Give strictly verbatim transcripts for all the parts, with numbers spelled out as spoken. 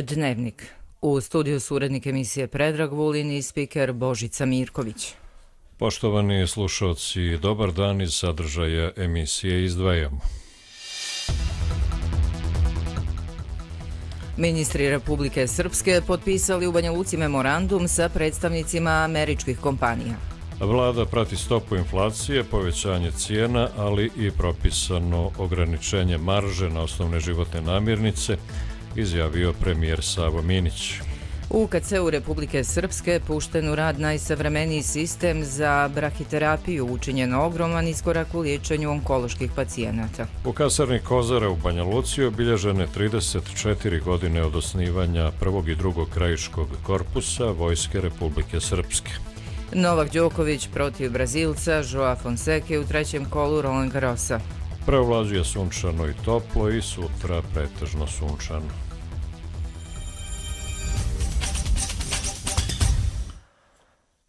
Dnevnik. U studiju su urednik emisije Predrag Vulin i spiker Božica Mirković. Poštovani slušalci, dobar dan, iz sadržaja emisije izdvajamo. Ministri Republike Srpske potpisali u Banja Luci memorandum sa predstavnicima američkih kompanija. Vlada prati stopu inflacije, povećanje cijena, ali i propisano ograničenje marže na osnovne životne namirnice, izjavio premijer Savo Minić. U K C-u Republike Srpske pušten u rad najsavremeniji sistem za brahiterapiju, učinjen ogroman iskorak u liječenju onkoloških pacijenata. U kasarni Kozara u Banja Luci obilježene trideset četiri godine od osnivanja prvog i drugog krajiškog korpusa Vojske Republike Srpske. Novak Đoković protiv Brazilca Joa Fonseke u trećem kolu Roland Garrosa. Preovlađuje sunčano i toplo i sutra pretežno sunčano.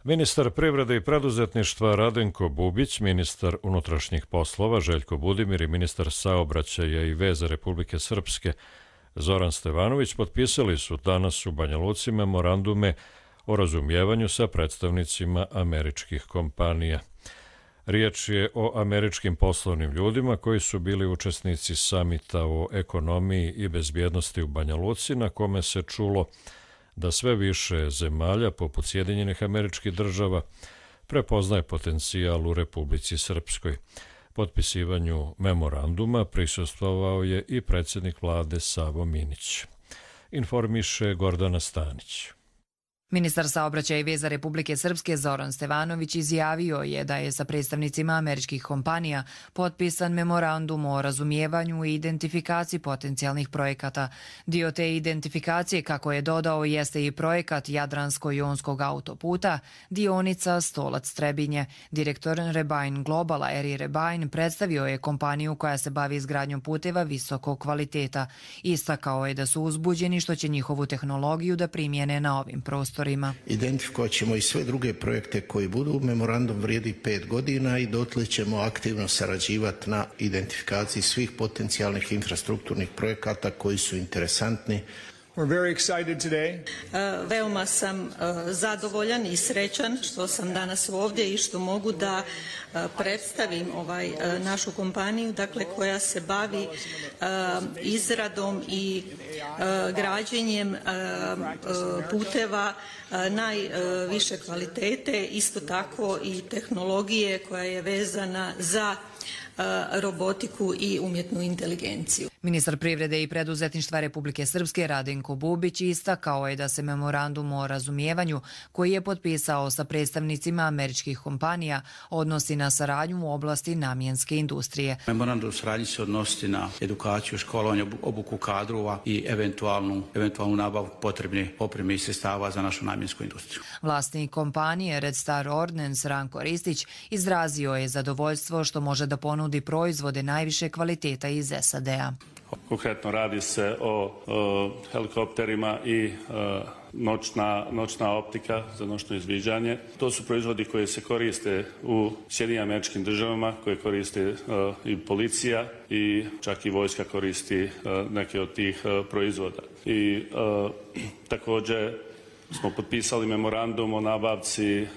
Ministar privrede i preduzetništva Radenko Bubić, ministar unutrašnjih poslova Željko Budimir i ministar saobraćaja i veza Republike Srpske Zoran Stevanović potpisali su danas u Banja Luci memorandume o razumijevanju sa predstavnicima američkih kompanija. Riječ je o američkim poslovnim ljudima koji su bili učesnici samita o ekonomiji i bezbjednosti u Banja Luci, na kome se čulo da sve više zemalja, poput Sjedinjenih Američkih Država, prepoznaje potencijal u Republici Srpskoj. Potpisivanju memoranduma prisustvovao je i predsjednik vlade Savo Minić. Informiše Gordana Stanić. Ministar saobraćaja i veza Republike Srpske Zoran Stevanović izjavio je da je sa predstavnicima američkih kompanija potpisan memorandum o razumijevanju i identifikaciji potencijalnih projekata. Dio te identifikacije, kako je dodao, jeste i projekat Jadransko-jonskog autoputa, dionica Stolac-Trebinje. Direktor Rebine Globala Eri Rebine predstavio je kompaniju koja se bavi izgradnjom puteva visokog kvaliteta. Istakao je da su uzbuđeni što će njihovu tehnologiju da primjene na ovim prostorima. Identifikovat ćemo i sve druge projekte koji budu. Memorandum vrijedi pet godina i dotle ćemo aktivno sarađivati na identifikaciji svih potencijalnih infrastrukturnih projekata koji su interesantni. We're very excited today. Uh, veoma sam uh, zadovoljan i srećan što sam danas ovdje i što mogu da uh, predstavim ovaj uh, našu kompaniju, dakle koja se bavi uh, izradom i uh, građenjem uh, uh, puteva uh, najviše kvalitete, isto tako i tehnologije koja je vezana za robotiku i umjetnu inteligenciju. Ministar privrede i preduzetništva Republike Srpske Radenko Bubić istakao je da se memorandum o razumijevanju koji je potpisao sa predstavnicima američkih kompanija odnosi na saradnju u oblasti namjenske industrije. Memorandum o saradnji se odnosi na edukaciju, školovanje, obuku kadrova i eventualnu, eventualnu nabavu potrebne opreme i sredstava za našu namjensku industriju. Vlasnik kompanije Red Star Ordnance Ranko Ristić izrazio je zadovoljstvo što može da ponudi proizvode najviše kvaliteta iz S A D-a. Konkretno radi se o, o helikopterima i o, noćna, noćna optika za noćno izviđanje. To su proizvodi koji se koriste u Sjedinjenim Američkim Državama, koje koriste o, i policija i čak i vojska koristi o, neke od tih o, proizvoda. I o, također smo potpisali memorandum o nabavci uh,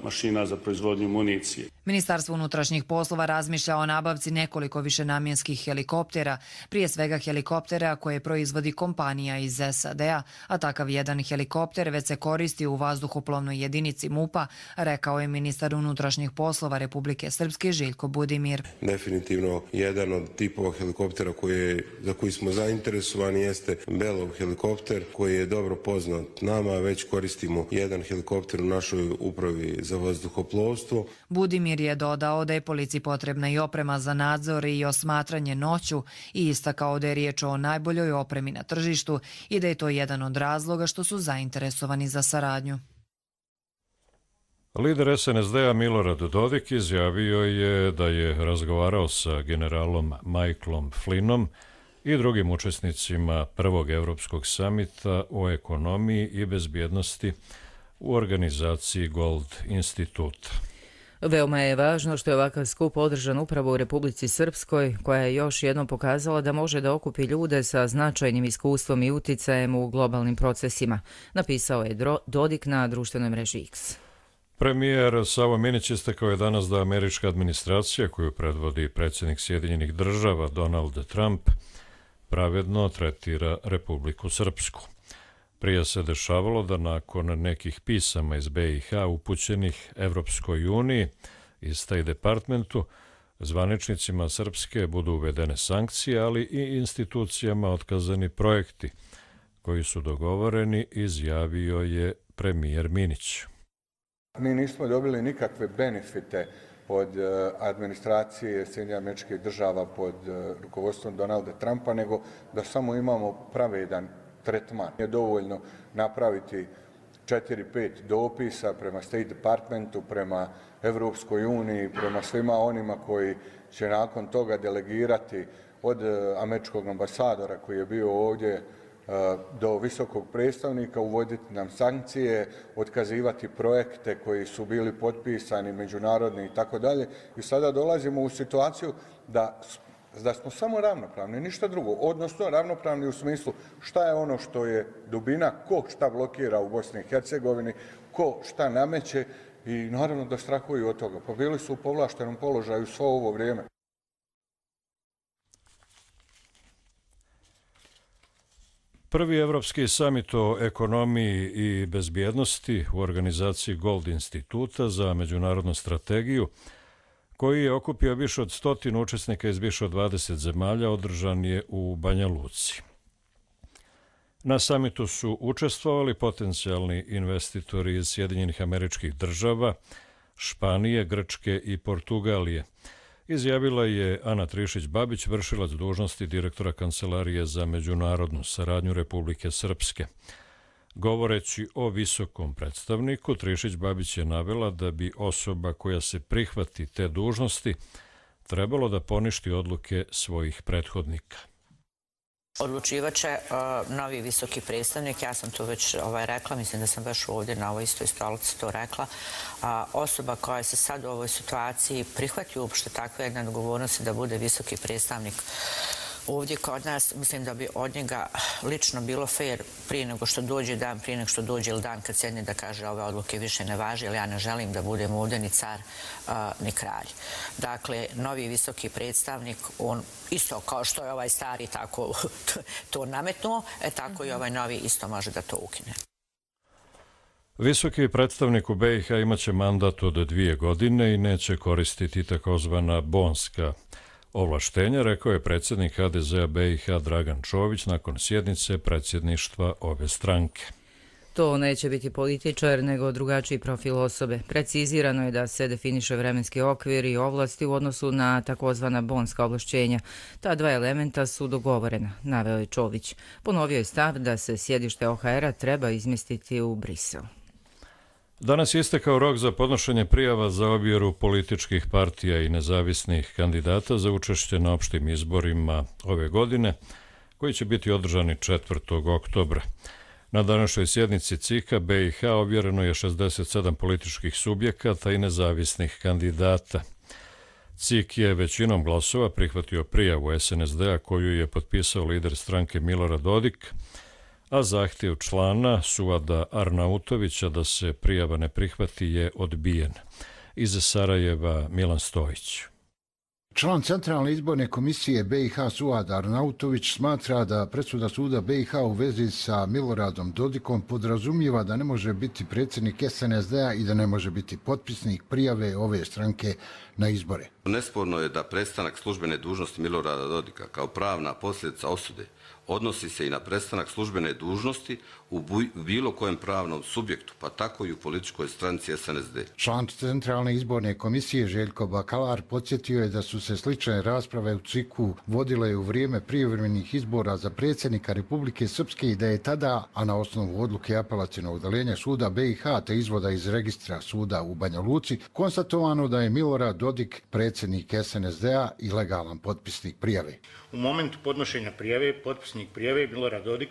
mašina za proizvodnju municije. Ministarstvo unutrašnjih poslova razmišlja o nabavci nekoliko višenamjenskih helikoptera, prije svega helikoptera koje proizvodi kompanija iz S A D-a, a takav jedan helikopter već se koristi u vazduhoplovnoj jedinici MUP-a, rekao je ministar unutrašnjih poslova Republike Srpske Željko Budimir. Definitivno jedan od tipova helikoptera koje, za koji smo zainteresovani jeste Belov helikopter, koji je dobro poznat nama, već koristimo jedan helikopter u našoj upravi za vazduhoplovstvo. Budimir je dodao da je policiji potrebna i oprema za nadzor i osmatranje noću i istakao da je riječ o najboljoj opremi na tržištu i da je to jedan od razloga što su zainteresovani za saradnju. Lider S N S D-a Milorad Dodik izjavio je da je razgovarao sa generalom Michaelom Flynnom i drugim učesnicima prvog Evropskog samita o ekonomiji i bezbjednosti u organizaciji Gold Instituta. Veoma je važno što je ovakav skup održan upravo u Republici Srpskoj, koja je još jednom pokazala da može da okupi ljude sa značajnim iskustvom i uticajem u globalnim procesima, napisao je Dodik na društvenoj mreži X. Premijer Savo Minić istakao je danas da američka administracija, koju predvodi predsjednik Sjedinjenih država Donald Trump, pravedno tretira Republiku Srpsku. Prije se dešavalo da nakon nekih pisama iz B i H upućenih Evropskoj uniji i State Departmentu, zvaničnicima Srpske budu uvedene sankcije, ali i institucijama otkazani projekti koji su dogovoreni, izjavio je premijer Minić. Mi nismo dobili nikakve benefite od administracije Sjedinjenih Američkih Država pod rukovodstvom Donalda Trumpa, nego da samo imamo pravedan tretman. Je dovoljno napraviti četiri pet dopisa prema State Departmentu, prema Evropskoj uniji, prema svima onima koji će nakon toga delegirati od američkog ambasadora koji je bio ovdje do visokog predstavnika, uvoditi nam sankcije, otkazivati projekte koji su bili potpisani, međunarodni i tako dalje. I sada dolazimo u situaciju da da smo samo ravnopravni, ništa drugo, odnosno ravnopravni u smislu šta je ono što je dubina, ko šta blokira u Bosni i Hercegovini, ko šta nameće i naravno da strahuju od toga. Pa bili su u povlaštenom položaju svo ovo vrijeme. Prvi evropski samit o ekonomiji i bezbjednosti u organizaciji Gold instituta za međunarodnu strategiju, koji je okupio više od stotinu učesnika iz više od dvadeset zemalja, održan je u Banja Luci. Na samitu su učestvovali potencijalni investitori iz Sjedinjenih Američkih Država, Španije, Grčke i Portugalije. Izjavila je Ana Trišić-Babić, vršilac dužnosti direktora Kancelarije za međunarodnu saradnju Republike Srpske. Govoreći o visokom predstavniku, Trišić-Babić je navela da bi osoba koja se prihvati te dužnosti trebalo da poništi odluke svojih prethodnika. Odlučivaće uh, novi visoki predstavnik, ja sam to već ovaj, rekla, mislim da sam baš ovdje na ovoj istoj stolici to rekla, uh, osoba koja se sad u ovoj situaciji prihvati uopšte takve jedne odgovornosti da bude visoki predstavnik ovdje kod nas, mislim da bi od njega lično bilo fair prije nego što dođe dan, prije nego što dođe ili dan kad sjedne da kaže ove odluke više ne važe, jer ja ne želim da budem ovdje ni car, uh, ni kralj. Dakle, novi visoki predstavnik, on isto kao što je ovaj stari tako to nametnuo, e tako i ovaj novi isto može da to ukine. Visoki predstavnik u B i H imaće mandat od dvije godine i neće koristiti takozvana bonska ovlaštenja, rekao je predsjednik H D Z-a B i H Dragan Čović nakon sjednice predsjedništva ove stranke. To neće biti političar, nego drugačiji profil osobe. Precizirano je da se definiše vremenski okvir i ovlasti u odnosu na takozvana bonska ovlašćenja. Ta dva elementa su dogovorena, naveo je Čović. Ponovio je stav da se sjedište O H R-a treba izmjestiti u Brisel. Danas je istekao rok za podnošenje prijava za objeru političkih partija i nezavisnih kandidata za učešće na opštim izborima ove godine, koji će biti održani četvrtog oktobra. Na današnjoj sjednici C I K-a B i H ovjereno je šezdeset sedam političkih subjekata i nezavisnih kandidata. C I K je većinom glasova prihvatio prijavu S N S D-a koju je potpisao lider stranke Milorad Dodik, a zahtjev člana Suada Arnautovića da se prijava ne prihvati je odbijen. Iz Sarajeva Milan Stojić. Član Centralne izborne komisije B i H Suad Arnautović smatra da presuda suda B i H u vezi sa Miloradom Dodikom podrazumijeva da ne može biti predsjednik S N S D-a i da ne može biti potpisnik prijave ove stranke na izbore. Nesporno je da prestanak službene dužnosti Milorada Dodika kao pravna posljedica osude odnosi se i na prestanak službene dužnosti u bilo kojem pravnom subjektu, pa tako i u političkoj stranci S N S D. Član Centralne izborne komisije Željko Bakalar podsjetio je da su se slične rasprave u C I K-u vodile u vrijeme prijevremenih izbora za predsjednika Republike Srpske i da je tada, a na osnovu odluke apelacionog odeljenja suda B i H te izvoda iz registra suda u Banja Luci, konstatovano da je Milorad Dodik predsjednik S N S D-a i legalan potpisnik prijave. U momentu podnošenja prijave, potpisnik prijave Milorad Dodik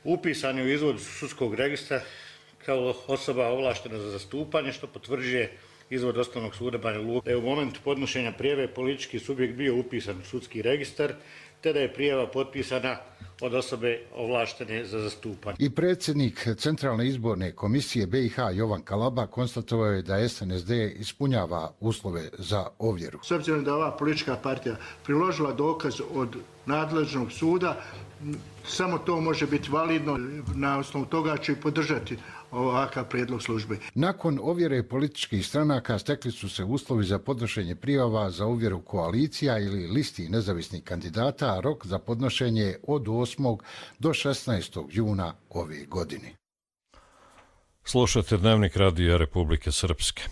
upisan je u izvod sudskog registra kao osoba ovlaštena za zastupanje, što potvrđuje izvod Osnovnog suda Banja Luka, da je u momentu podnošenja prijave politički subjekt bio upisan u sudski registar, te da je prijava potpisana od osobe ovlaštene za zastupanje. I predsjednik Centralne izborne komisije B i H Jovan Kalaba konstatovao je da S N S D ispunjava uslove za ovjeru. S obzirom da ova politička partija priložila dokaz od nadležnog suda, samo to može biti validno, na osnovu toga ću i podržati ovakav prijedlog službe. Nakon ovjere političkih stranaka stekli su se uslovi za podnošenje prijava za ovjeru koalicija ili listi nezavisnih kandidata, a rok za podnošenje od osmog do šesnaestog juna ove godine. Slušate Dnevnik radija Republike Srpske.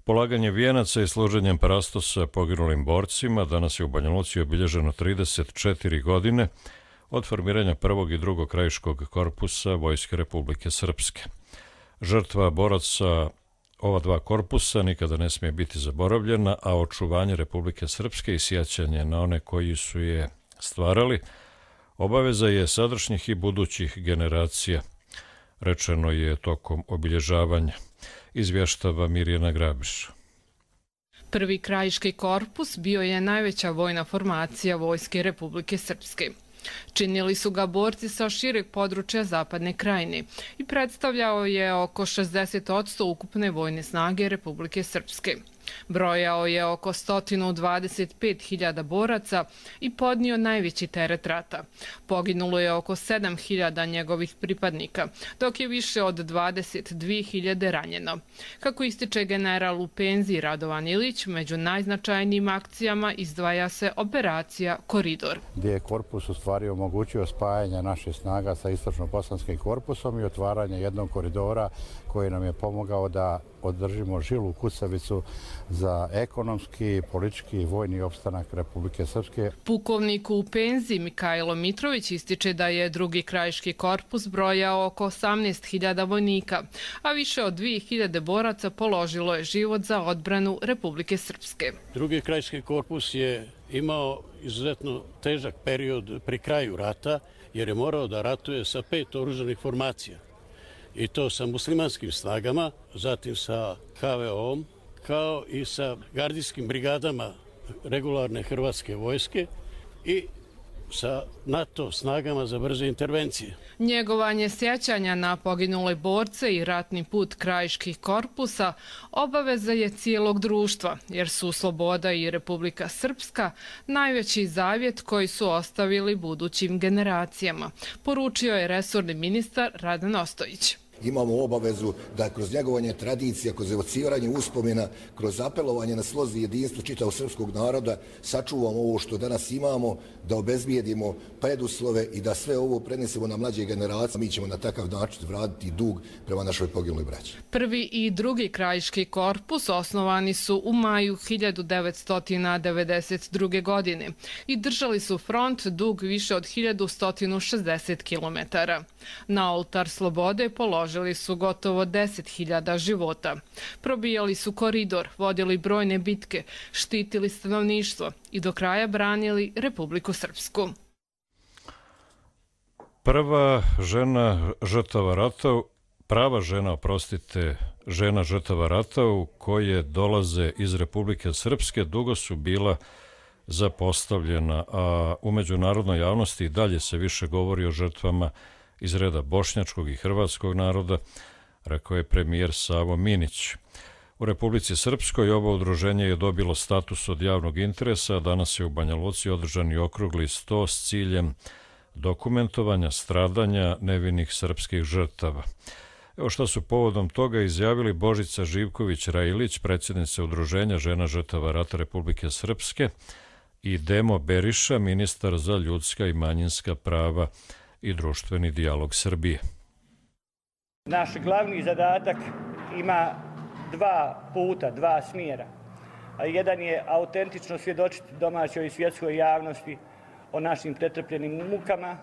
Polaganje vijenaca i služenjem parastosa poginulim borcima danas je u Banja Luci obilježeno trideset četiri godine od formiranja prvog i drugog krajiškog korpusa Vojske Republike Srpske. Žrtva boraca ova dva korpusa nikada ne smije biti zaboravljena, a očuvanje Republike Srpske i sjećanje na one koji su je stvarali obaveza je sadašnjih i budućih generacija, rečeno je tokom obilježavanja, izvještava Mirjana Grabiš. Prvi krajiški korpus bio je najveća vojna formacija Vojske Republike Srpske. Činili su ga borci sa šireg područja Zapadne Krajine i predstavljao je oko šezdeset posto ukupne vojne snage Republike Srpske. Brojao je oko sto dvadeset pet hiljada boraca i podnio najveći teret rata. Poginulo je oko sedam hiljada njegovih pripadnika, dok je više od dvadeset dvije hiljade ranjeno. Kako ističe general u penziji Radovan Ilić, među najznačajnijim akcijama izdvaja se operacija Koridor. Gdje je korpus u stvari omogućio spajanje naših snaga sa istočno-bosanskim korpusom i otvaranje jednog koridora koji nam je pomogao da održimo žilu kucavicu za ekonomski, politički i vojni opstanak Republike Srpske. Pukovnik u penziji Mikajlo Mitrović ističe da je drugi krajiški korpus brojao oko osamnaest hiljada vojnika, a više od dvije hiljade boraca položilo je život za odbranu Republike Srpske. Drugi krajiški korpus je imao izuzetno težak period pri kraju rata, jer je morao da ratuje sa pet oružanih formacija. I to sa muslimanskim snagama, zatim sa H V O-om, kao i sa gardijskim brigadama regularne hrvatske vojske i sa NATO snagama za brze intervencije. Njegovanje sjećanja na poginule borce i ratni put krajiških korpusa obaveza je cijelog društva, jer su sloboda i Republika Srpska najveći zavjet koji su ostavili budućim generacijama, poručio je resorni ministar Radan Ostojić. Imamo obavezu da kroz njegovanje tradicija, kroz evociranje uspomena, kroz apelovanje na slozi i jedinstvo čitavog srpskog naroda sačuvamo ovo što danas imamo, da obezbijedimo preduslove i da sve ovo prenesemo na mlađe generacije. Mi ćemo na takav način vratiti dug prema našoj poginuloj braći. Prvi i drugi krajiški korpus osnovani su u maju hiljadu devetsto devedeset druge. godine i držali su front dug više od hiljadu sto šezdeset kilometara. Na oltar slobode položili Žili su gotovo deset hiljada života. Probijali su koridor, vodili brojne bitke, štitili stanovništvo i do kraja branili Republiku Srpsku. Prva žena žrtava rata, prava žena, oprostite, žena žrtava rata u koje dolaze iz Republike Srpske dugo su bila zapostavljena, a u međunarodnoj javnosti i dalje se više govori o žrtvama iz reda bošnjačkog i hrvatskog naroda, rekao je premijer Savo Minić. U Republici Srpskoj ovo udruženje je dobilo status od javnog interesa, a danas je u Banja Luci održan i okrugli sto s ciljem dokumentovanja stradanja nevinih srpskih žrtava. Evo šta su povodom toga izjavili Božica Živković-Railić, predsjednica udruženja žena žrtava rata Republike Srpske, i Demo Beriša, ministar za ljudska i manjinska prava i društveni dijalog Srbije. Naš glavni zadatak ima dva puta, dva smjera. Jedan je autentično svjedočiti domaćoj i svjetskoj javnosti o našim pretrpljenim mukama,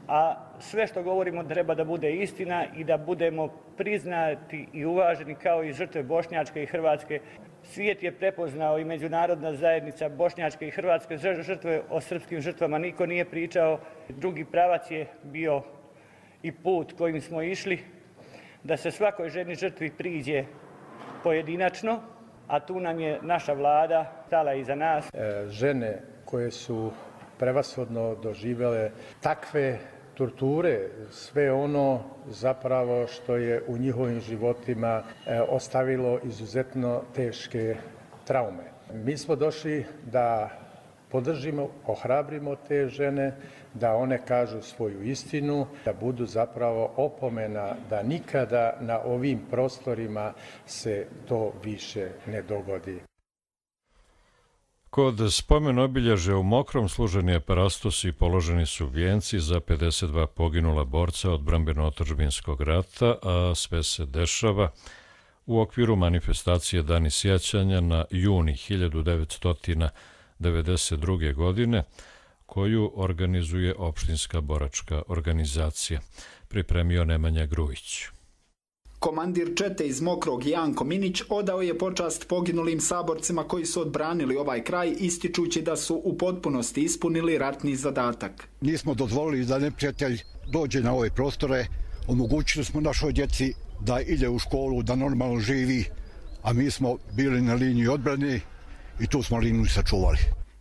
a sve što govorimo treba da bude istina i da budemo priznati i uvaženi kao i žrtve bošnjačke i hrvatske. Svijet je prepoznao i međunarodna zajednica bošnjačke i hrvatske žrtve, o srpskim žrtvama niko nije pričao. Drugi pravac je bio i put kojim smo išli, da se svakoj ženi žrtvi priđe pojedinačno, a tu nam je naša vlada stala iza nas. E, žene koje su prevashodno doživjele takve torture, sve ono zapravo što je u njihovim životima e, ostavilo izuzetno teške traume. Mi smo došli da podržimo, ohrabrimo te žene, da one kažu svoju istinu, da budu zapravo opomena da nikada na ovim prostorima se to više ne dogodi. Kod spomen obilježja u Mokrom služen je parastos i položeni su vijenci za pedeset dva poginula borca odbrambeno-otadžbinskog rata, a sve se dešava u okviru manifestacije Dani sjećanja na juni hiljadu devetsto devedeset druge. godine, koju organizuje opštinska boračka organizacija. Pripremio Nemanja Grujić. Komandir čete iz Mokrog Janko Minić odao je počast poginulim saborcima koji su odbranili ovaj kraj, ističući da su u potpunosti ispunili ratni zadatak. Nismo dozvolili da neprijatelj dođe na ove prostore, omogućili smo našoj djeci da ide u školu, da normalno živi, a mi smo bili na liniji odbrane i tu smo liniju sačuvali.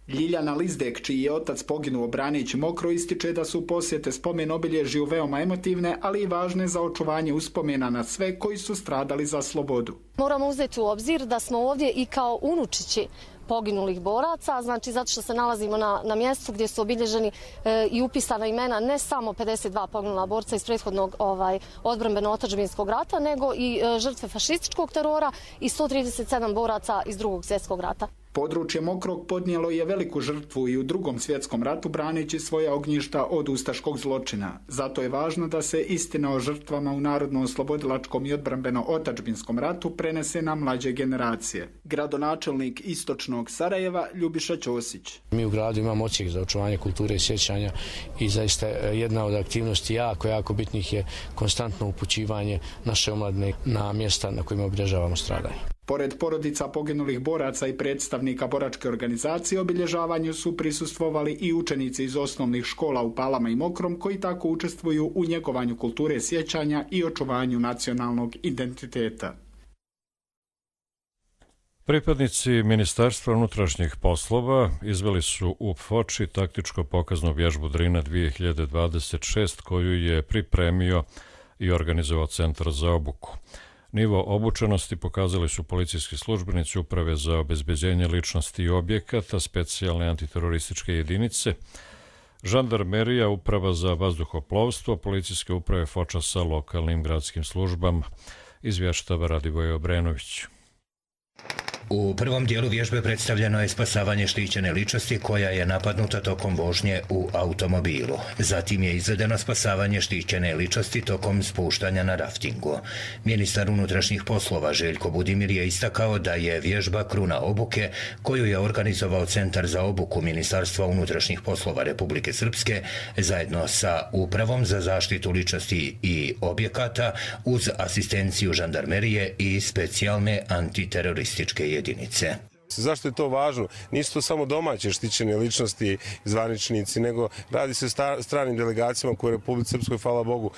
Ljiljana Lizdek, čiji je otac poginuo braneći Mokro, ističe da su posjete spomen obilježju veoma emotivne, ali i važne za očuvanje uspomena na sve koji su stradali za slobodu. Moramo uzeti u obzir da smo ovdje i kao unučići poginulih boraca, znači zato što se nalazimo na, na mjestu gdje su obilježeni e, i upisana imena ne samo pedeset dva poginula borca iz prethodnog ovaj, odbrambeno-otadžbinskog rata, nego i e, žrtve fašističkog terora i sto trideset sedam boraca iz drugog svjetskog rata. Područje Mokrog podnijelo je veliku žrtvu i u drugom svjetskom ratu braneći svoja ognjišta od ustaškog zločina. Zato je važno da se istina o žrtvama u narodno-oslobodilačkom i odbrambeno-otadžbinskom ratu prenese na mlađe generacije. Gradonačelnik istočnog Sarajeva Ljubiša Ćosić. Mi u gradu imamo odsjek za očuvanje kulture i sjećanja i zaista jedna od aktivnosti jako, jako bitnih je konstantno upućivanje naše omladine na mjesta na kojima obilježavamo stradanje. Pored porodica poginulih boraca i predstavnika boračke organizacije, obilježavanju su prisustvovali i učenici iz osnovnih škola u Palama i Mokrom, koji tako učestvuju u njegovanju kulture sjećanja i očuvanju nacionalnog identiteta. Pripadnici Ministarstva unutrašnjih poslova izveli su u Foči taktičko pokaznu vježbu Drina dvije hiljade dvadeset šest, koju je pripremio i organizovao Centar za obuku. Nivo obučenosti pokazali su policijski službenici Uprave za obezbeđenje ličnosti i objekata, specijalne antiterorističke jedinice, žandarmerija, Uprava za vazduhoplovstvo, policijske uprave Foča sa lokalnim gradskim službama, izvještava Radivoj Obrenović. U prvom dijelu vježbe predstavljeno je spasavanje štićene ličnosti koja je napadnuta tokom vožnje u automobilu. Zatim je izvedeno spasavanje štićene ličnosti tokom spuštanja na raftingu. Ministar unutrašnjih poslova Željko Budimir je istakao da je vježba kruna obuke koju je organizovao Centar za obuku Ministarstva unutrašnjih poslova Republike Srpske zajedno sa Upravom za zaštitu ličnosti i objekata uz asistenciju žandarmerije i specijalne antiterorističke jedinice. jedinice. Zašto je to važno? Nisu to samo domaće štićene ličnosti, zvaničnici, nego radi se o stranim delegacijama koje u Republici Srpskoj, hvala Bogu,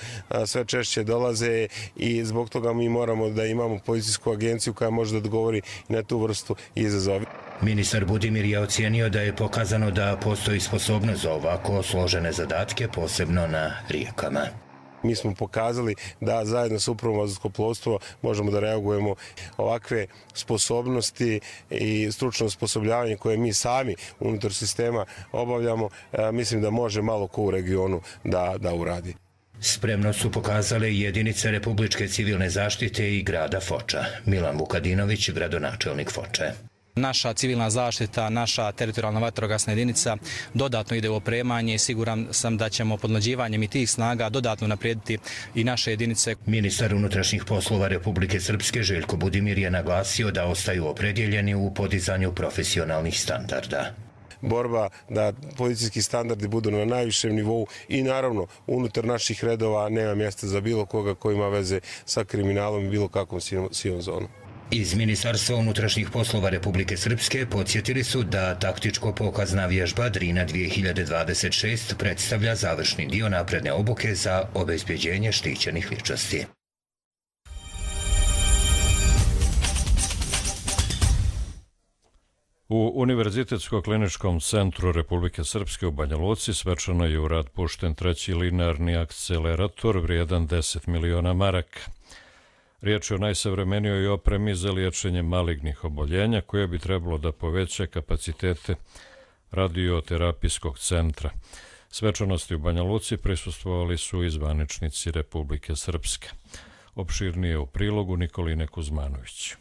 sve češće dolaze i zbog toga mi moramo da imamo policijsku agenciju koja može da odgovori na tu vrstu izazova. Ministar Budimir je ocijenio da je pokazano da postoji sposobnost za ovako složene zadatke, posebno na rijekama. Mi smo pokazali da zajedno sa Upravom vazduhoplovstva možemo da reagujemo ovakve sposobnosti i stručno osposobljavanje koje mi sami unutar sistema obavljamo. Mislim da može malo ko u regionu da, da uradi. Spremno su pokazale jedinice Republičke civilne zaštite i grada Foča. Milan Vukadinović, gradonačelnik Foče. Naša civilna zaštita, naša teritorijalna vatrogasna jedinica dodatno ide u opremanje i siguran sam da ćemo podmlađivanjem i tih snaga dodatno naprijediti i naše jedinice. Ministar unutrašnjih poslova Republike Srpske Željko Budimir je naglasio da ostaju opredjeljeni u podizanju profesionalnih standarda. Borba da policijski standardi budu na najvišem nivou i naravno unutar naših redova nema mjesta za bilo koga koji ima veze sa kriminalom i bilo kakvom sivom zonom. Iz Ministarstva unutrašnjih poslova Republike Srpske podsjetili su da taktičko pokazna vježba Drina dvije hiljade dvadeset šest predstavlja završni dio napredne obuke za obezbeđenje štićenih ličnosti. U Univerzitetsko-kliničkom centru Republike Srpske u Banja Luci svečano je u rad pušten treći linearni akcelerator vrijedan deset miliona maraka. Riječ je o najsavremenijoj opremi za liječenje malignih oboljenja koje bi trebalo da poveća kapacitete radioterapijskog centra. Svečanosti u Banja Luci prisustvovali su i zvaničnici Republike Srpske. Opširnije u prilogu Nikoline Kuzmanović.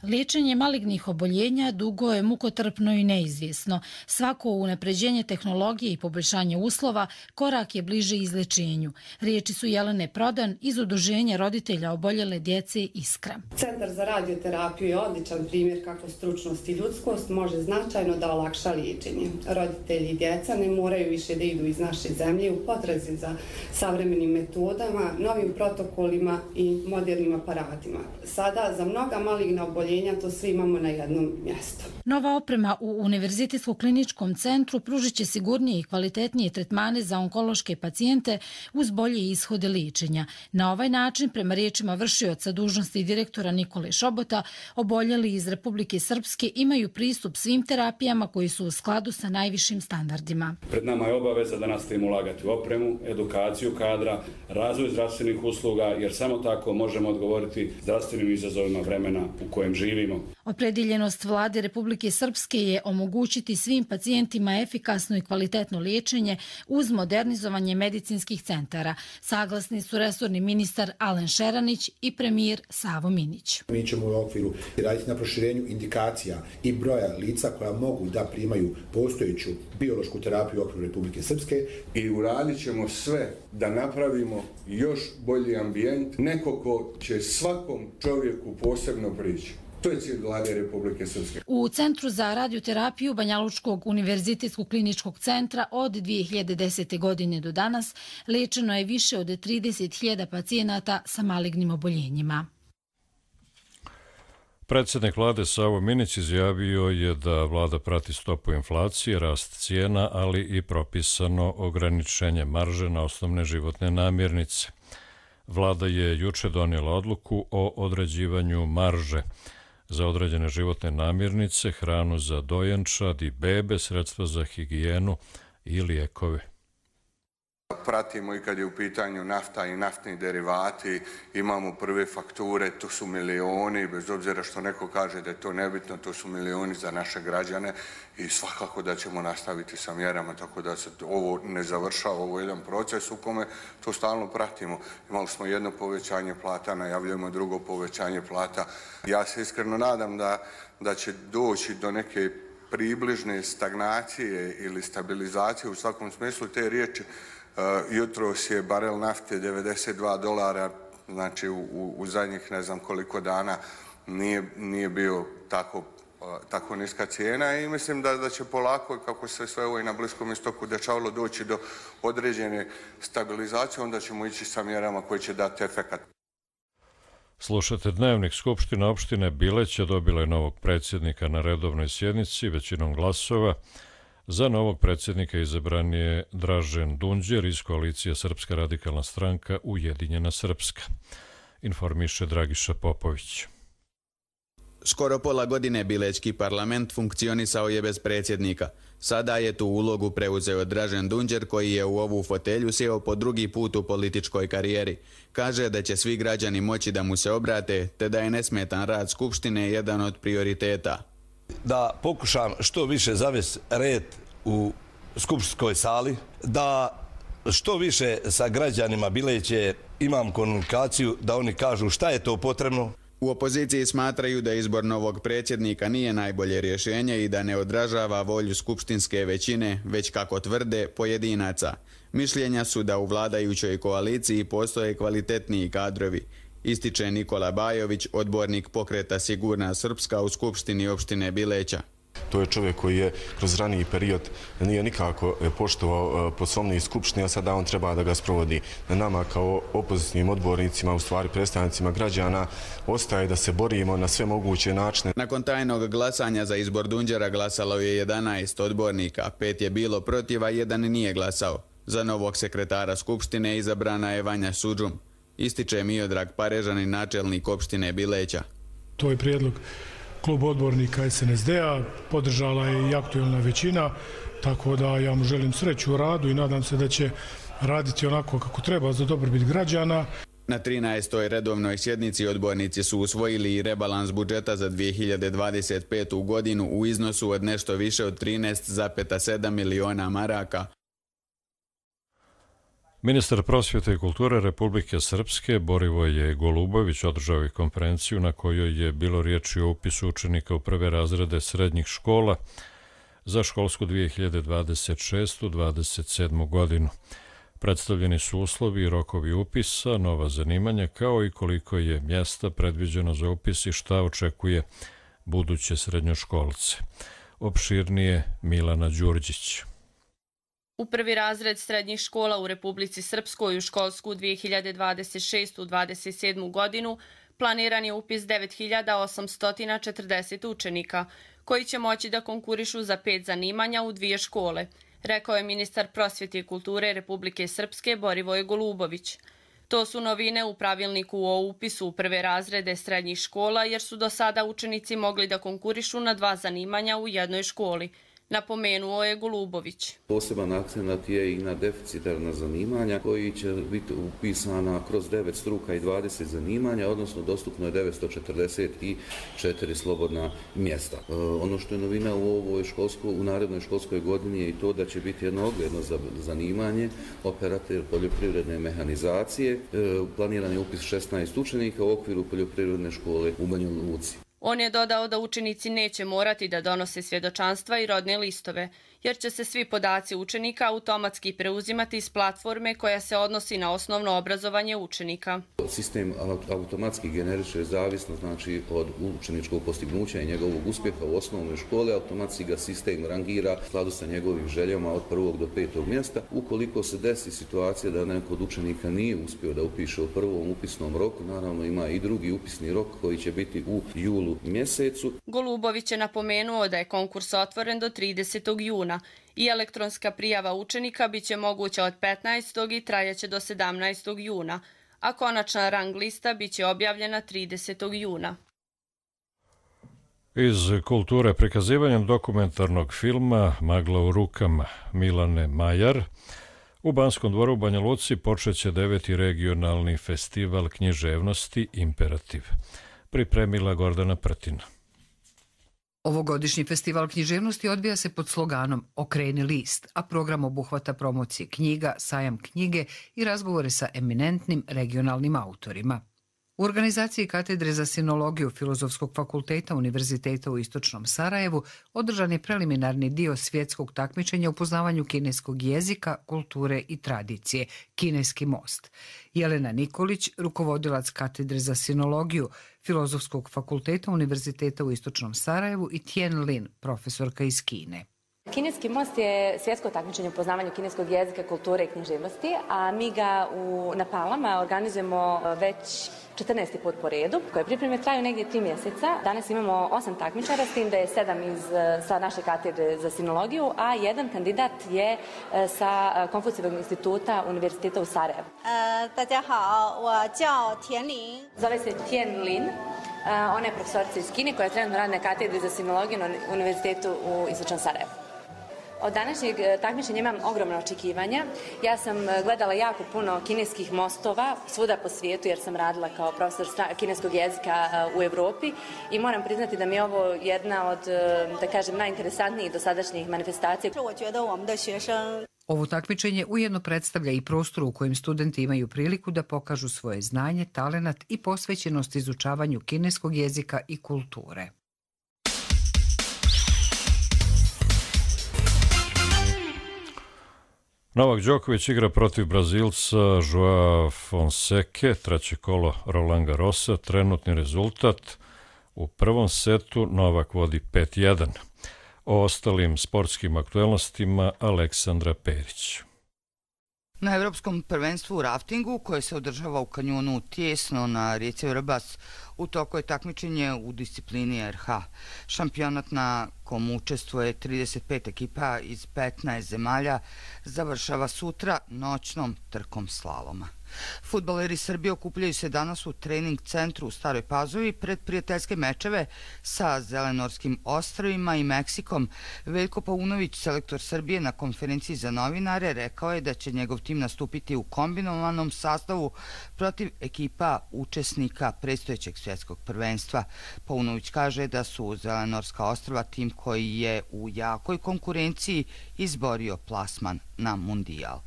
Liječenje malignih oboljenja dugo je mukotrpno i neizvjesno. Svako unapređenje tehnologije i poboljšanje uslova korak je bliže izlečenju. Riječi su Jelene Prodan iz Udruženja roditelja oboljele djece Iskra. Centar za radioterapiju je odličan primjer kako stručnost i ljudskost može značajno da olakša liječenje. Roditelji i djeca ne moraju više da idu iz naše zemlje u potrazi za savremenim metodama, novim protokolima i modernim aparatima. Sada za mnoga maligna oboljenja to sve imamo na jednom mjestu. Nova oprema u Univerzitetsko-kliničkom centru pružit će sigurnije i kvalitetnije tretmane za onkološke pacijente uz bolje ishode liječenja. Na ovaj način, prema riječima vršioca dužnosti direktora Nikole Šobota, oboljeli iz Republike Srpske imaju pristup svim terapijama koji su u skladu sa najvišim standardima. Pred nama je obaveza da nastavimo ulagati u opremu, edukaciju kadra, razvoj zdravstvenih usluga, jer samo tako možemo odgovoriti zdravstvenim izazovima vremena u kojem živimo. Opredjeljenost vlade Republike Srpske je omogućiti svim pacijentima efikasno i kvalitetno liječenje uz modernizovanje medicinskih centara. Saglasni su resorni ministar Alen Šeranić i premijer Savo Minić. Mi ćemo u okviru raditi na proširenju indikacija i broja lica koja mogu da primaju postojeću biološku terapiju u okviru Republike Srpske. I uradit ćemo sve da napravimo još bolji ambijent, neko ko će svakom čovjeku posebno prići. To je cilj vlade Republike Srpske. U Centru za radioterapiju Banjalučkog univerzitetskog kliničkog centra od dvije hiljade desete. godine do danas liječeno je više od trideset hiljada pacijenata sa malignim oboljenjima. Predsjednik vlade Savo Minić izjavio je da vlada prati stopu inflacije, rast cijena, ali i propisano ograničenje marže na osnovne životne namirnice. Vlada je juče donijela odluku o određivanju marže za određene životne namirnice, hranu za dojenčad i bebe, sredstva za higijenu i lijekove. Pratimo i kad je u pitanju nafta i naftni derivati, imamo prve fakture, to su milioni, bez obzira što neko kaže da je to nebitno, to su milioni za naše građane i svakako da ćemo nastaviti sa mjerama, tako da se ovo ne završava, ovo je jedan proces u kome to stalno pratimo. Imali smo jedno povećanje plata, najavljujemo drugo povećanje plata. Ja se iskreno nadam da, da će doći do neke približne stagnacije ili stabilizacije u svakom smislu te riječi. Uh, jutros je barel nafte devedeset dva dolara, znači u, u, u zadnjih ne znam koliko dana nije, nije bio tako, uh, tako niska cijena i mislim da, da će polako, kako se sve ovo i na Bliskom istoku dešavalo, doći do određene stabilizacije, onda ćemo ići sa mjerama koje će dati efekat. Slušate Dnevnik. Skupština opštine Bileća dobila je novog predsjednika na redovnoj sjednici većinom glasova. Za novog predsjednika izabran je Dražen Dunđer iz koalicije Srpska radikalna stranka Ujedinjena Srpska. Informiše Dragiša Popović. Skoro pola godine Bilećki parlament funkcionisao je bez predsjednika. Sada je tu ulogu preuzeo Dražen Dunđer koji je u ovu fotelju sjeo po drugi put u političkoj karijeri. Kaže da će svi građani moći da mu se obrate te da je nesmetan rad Skupštine jedan od prioriteta. Da pokušam što više zavesti red u skupštinskoj sali, da što više sa građanima Bileće imam komunikaciju, da oni kažu šta je to potrebno. U opoziciji smatraju da izbor novog predsjednika nije najbolje rješenje i da ne odražava volju skupštinske većine, već kako tvrde pojedinaca. Mišljenja su da u vladajućoj koaliciji postoje kvalitetniji kadrovi, ističe Nikola Bajović, odbornik pokreta Sigurna Srpska u Skupštini opštine Bileća. To je čovjek koji je kroz raniji period nije nikako poštovao Poslovnik Skupštine, a sada on treba da ga sprovodi. Na nama kao opozicijnim odbornicima, u stvari predstavnicima građana, ostaje da se borimo na sve moguće načine. Nakon tajnog glasanja za izbor Dunđera glasalo je jedanaest odbornika, pet je bilo protiv, a jedan nije glasao. Za novog sekretara Skupštine izabrana je Vanja Sudžum. Ističe Miodrag Parežanin, načelnik opštine Bileća. To je prijedlog klub odbornika S N S D-a, podržala je i aktualna većina, tako da ja mu želim sreću u radu i nadam se da će raditi onako kako treba za dobrobit građana. Na trinaestoj redovnoj sjednici odbornici su usvojili i rebalans budžeta za dvije hiljade dvadeset petu. godinu u iznosu od nešto više od trinaest zarez sedam miliona maraka. Ministar prosvjete i kulture Republike Srpske Borivoje Golubović održao je konferenciju na kojoj je bilo riječi o upisu učenika u prve razrede srednjih škola za školsku dvije hiljade dvadeset šestu dvadeset sedmu. godinu. Predstavljeni su uslovi i rokovi upisa, nova zanimanja, kao i koliko je mjesta predviđeno za upis i šta očekuje buduće srednjoškolce. Opširnije Milana Đurđić. U prvi razred srednjih škola u Republici Srpskoj u školsku dvije hiljade dvadeset šestu dvadeset sedmu. godinu planiran je upis devet hiljada osamsto četrdeset učenika, koji će moći da konkurišu za pet zanimanja u dvije škole, rekao je ministar prosvjete i kulture Republike Srpske Borivoje Golubović. To su novine u pravilniku o upisu u prve razrede srednjih škola, jer su do sada učenici mogli da konkurišu na dva zanimanja u jednoj školi, napomenuo je Golubović. Poseban akcenat je i na deficitarna zanimanja koji će biti upisana kroz devet struka i dvadeset zanimanja, odnosno dostupno je devetsto četrdeset četiri slobodna mjesta. E, ono što je novina u ovoj školsko, u narednoj školskoj godini je i to da će biti jedno ogledno zanimanje, operator poljoprivredne mehanizacije. E, planiran je upis šesnaest učenika u okviru poljoprivredne škole u Banja Luci. On je dodao da učenici neće morati da donose svjedočanstva i rodne listove, jer će se svi podaci učenika automatski preuzimati iz platforme koja se odnosi na osnovno obrazovanje učenika. Sistem automatski generiše zavisno znači od učeničkog postignuća i njegovog uspjeha u osnovnoj školi, automatski ga sistem rangira u skladu sa njegovim željama od prvog do petog mjesta. Ukoliko se desi situacija da neko od učenika nije uspio da upiše u prvom upisnom roku, naravno ima i drugi upisni rok koji će biti u julu mjesecu. Golubović je napomenuo da je konkurs otvoren do tridesetog juna i elektronska prijava učenika biće moguća od petnaestog i trajaće do sedamnaestog juna, a konačna rang lista biće objavljena tridesetog juna. Iz kulture prikazivanjem dokumentarnog filma Magla u rukama Milane Majar u Banskom dvoru u Banja Luci počeće deveti regionalni festival književnosti Imperativ. Pripremila Gordana Prtina. Ovogodišnji festival književnosti odvija se pod sloganom Okreni list, a program obuhvata promocije knjiga, sajam knjige i razgovore sa eminentnim regionalnim autorima. U organizaciji Katedre za sinologiju Filozofskog fakulteta Univerziteta u Istočnom Sarajevu održan je preliminarni dio svjetskog takmičenja u poznavanju kineskog jezika, kulture i tradicije, Kineski most. Jelena Nikolić, rukovodilac Katedre za sinologiju Filozofskog fakulteta Univerziteta u Istočnom Sarajevu i Tien Lin, profesorka iz Kine. Kineski most je svjetsko takmičenje u poznavanju kineskog jezika, kulture i književnosti, a mi ga u, na Palama organizujemo već četrnaesti put po redu, koje pripreme traju negdje tri mjeseca. Danas imamo osam takmičara, s tim da je sedam iz, sa naše katedre za sinologiju, a jedan kandidat je sa Konfucijevog instituta Univerziteta u Sarajevu. Zove se Tien Lin. Ona je profesorica iz Kine koja je trenutno radi na katedri za sinologiju na Univerzitetu u Istočnom Sarajevu. Od današnjeg takmičenja imam ogromna očekivanja. Ja sam gledala jako puno kineskih mostova svuda po svijetu jer sam radila kao profesor kineskog jezika u Europi i moram priznati da mi je ovo jedna od, da kažem, najinteresantnijih dosadašnjih manifestacija. Ovo takmičenje ujedno predstavlja i prostor u kojem studenti imaju priliku da pokažu svoje znanje, talenat i posvećenost izučavanju kineskog jezika i kulture. Novak Đoković igra protiv Brazilca Joao Fonseke, treće kolo Roland Garrosa, trenutni rezultat u prvom setu Novak vodi pet jedan. O ostalim sportskim aktuelnostima Aleksandra Perić. Na Evropskom prvenstvu u raftingu, koje se održava u kanjonu Tijesno na rijeci Vrbas, u toku je takmičenje u disciplini R H. Šampionat na kom učestvuje trideset pet ekipa iz petnaest zemalja završava sutra noćnom trkom slaloma. Fudbaleri Srbije okupljaju se danas u trening centru u Staroj Pazovi pred prijateljske mečeve sa Zelenorskim ostrvima i Meksikom. Veljko Paunović, selektor Srbije, na konferenciji za novinare rekao je da će njegov tim nastupiti u kombinovanom sastavu protiv ekipa učesnika predstojećeg svjetskog prvenstva. Paunović kaže da su Zelenorska ostrva tim koji je u jakoj konkurenciji izborio plasman na mundijal.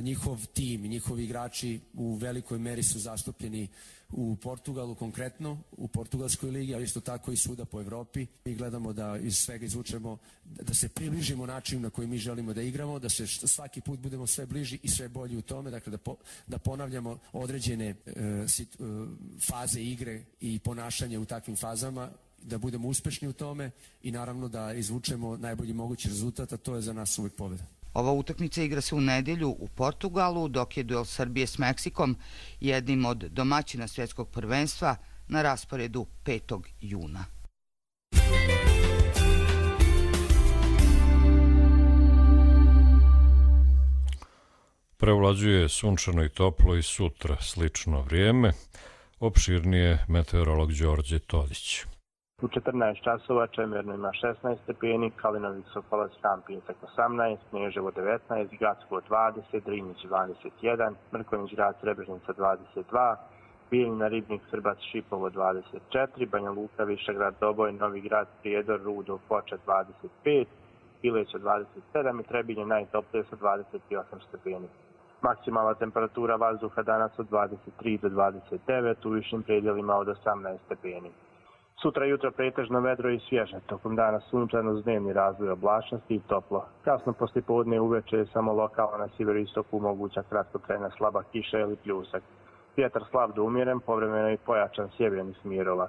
Njihov tim i njihovi igrači u velikoj meri su zastupljeni u Portugalu konkretno, u portugalskoj ligi, ali isto tako i svuda po Evropi. Mi gledamo da iz svega izvučemo, da se približimo načinu na koji mi želimo da igramo, da se svaki put budemo sve bliži i sve bolji u tome, dakle da, po, da ponavljamo određene uh, sit, uh, faze igre i ponašanje u takvim fazama, da budemo uspešni u tome i naravno da izvučemo najbolji mogući rezultat, a to je za nas uvijek pobjeda. Ova utakmica igra se u nedjelju u Portugalu, dok je duel Srbije s Meksikom, jednim od domaćina svjetskog prvenstva, na rasporedu petog juna. Prevlađuje sunčano i toplo i sutra slično vrijeme. Opširnije meteorolog Đorđe Todić. U četrnaest časova Čemerno ima šesnaest stepeni, Kalinović Sokolac Kampijesak osamnaest, Kneževo devetnaest, Gacko dvadeset, Drinić dvadeset jedan, Mrkonjić grad Srebrenica dvadeset dva, Bijeljina Ribnik Srbac Šipovo dvadeset četiri, Banja Luka Višegrad Doboj, Novi grad Prijedor Rudo Foča dvadeset pet, Pileća dvadeset sedam i Trebinje najtoplije sa dvadeset osam stepeni. Maksimalna temperatura vazduha danas od dvadeset tri do dvadeset devet, u višim predjelima od osamnaest stepeni. Sutra jutro pretežno vedro i svježe, tokom dana sunčano s dnevni razvoj oblačnosti i toplo. Kasno poslijepodne uveče je samo lokalno na sjeveroistoku moguća kratkotrajna slaba kiša ili pljusak. Vjetar slab do umjeren, povremeno i pojačan sjeverni smjerova.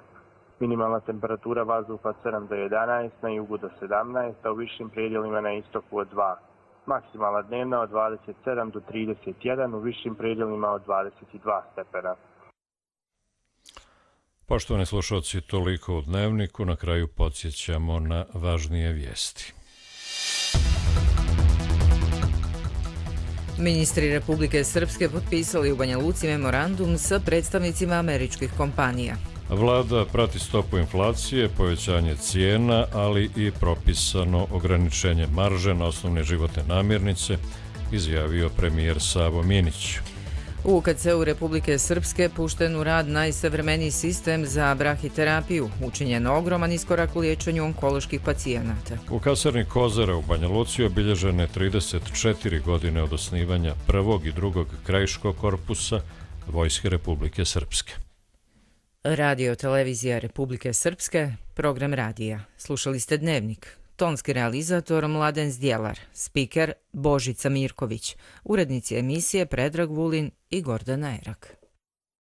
Minimalna temperatura vazduha od sedam do jedanaest, na jugu do sedamnaest, a u višim predjelima na istoku od dva. Maksimalna dnevna od dvadeset sedam do trideset jedan, u višim predjelima od dvadeset dva stepena. Poštovani slušalci, toliko u Dnevniku. Na kraju podsjećamo na važnije vijesti. Ministri Republike Srpske potpisali u Banja Luci memorandum sa predstavnicima američkih kompanija. Vlada prati stopu inflacije, povećanje cijena, ali i propisano ograničenje marže na osnovne životne namirnice, izjavio premijer Savo Minić. U U K C-u Republike Srpske pušten u rad najsavremeniji sistem za brahiterapiju, učinjen ogroman iskorak u liječenju onkoloških pacijenata. U kasarni Kozara u Banja Luci obilježene trideset četiri godine od osnivanja prvog i drugog krajiškog korpusa Vojske Republike Srpske. Radio televizija Republike Srpske, program radija. Slušali ste Dnevnik. Tonski realizator Mladen Zdjelar, spiker Božica Mirković, urednici emisije Predrag Vulin i Gordana Erak.